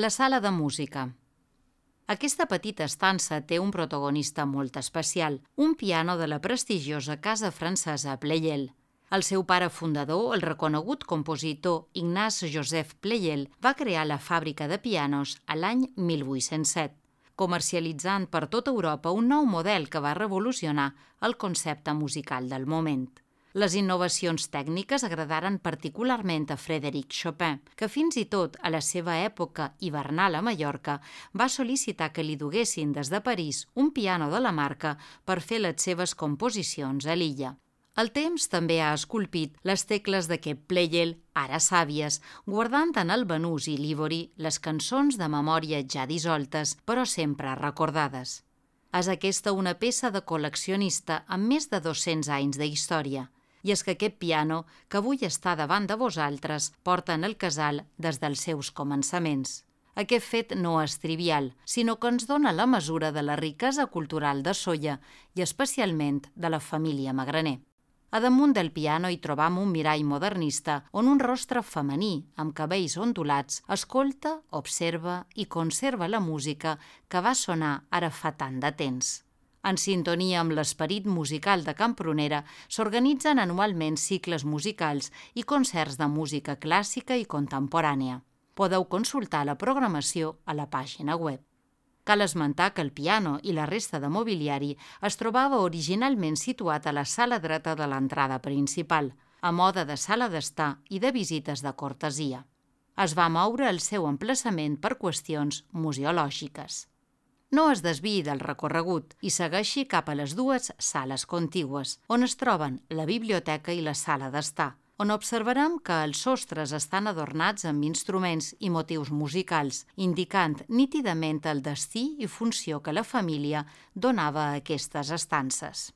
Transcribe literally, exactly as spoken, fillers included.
La sala de música. Aquesta petita estança té un protagonista molt especial, un piano de la prestigiosa casa francesa Pleyel. El seu pare fundador, el reconegut compositor Ignace-Joseph Pleyel, va crear la fàbrica de pianos a l'any mil vuit-cents set, comercialitzant per tota Europa un nou model que va revolucionar el concepte musical del moment. Les innovacions tècniques agradaren particularment a Frédéric Chopin, que fins i tot a la seva època hivernal a Mallorca va sol·licitar que li duguessin des de París un piano de la marca per fer les seves composicions a l'illa. El temps també ha esculpit les tecles d'aquest Pleyel, ara sàvies, guardant en el banús i l'ivori les cançons de memòria ja dissoltes, però sempre recordades. És aquesta una peça de col·leccionista amb més de dos-cents anys de història. I és que aquest piano, que avui està davant de vosaltres, porta en el casal des dels seus començaments. Aquest fet no és trivial, sinó que ens dona la mesura de la riquesa cultural de Sóller i especialment de la família Magraner. A damunt del piano hi trobam un mirall modernista on un rostre femení, amb cabells ondulats, escolta, observa i conserva la música que va sonar ara fa tant de temps. En sintonia amb l'esperit musical de Campronera, s'organitzen anualment cicles musicals i concerts de música clàssica i contemporània. Podeu consultar la programació a la pàgina web. Cal esmentar que el piano i la resta de mobiliari es trobava originalment situat a la sala dreta de l'entrada principal, a mode de sala d'estar i de visites de cortesia. Es va moure el seu emplaçament per qüestions museològiques. No es desviï del recorregut i segueixi cap a les dues sales contigües, on es troben la biblioteca i la sala d'estar, on observarem que els sostres estan adornats amb instruments i motius musicals, indicant nítidament el destí i funció que la família donava a aquestes estances.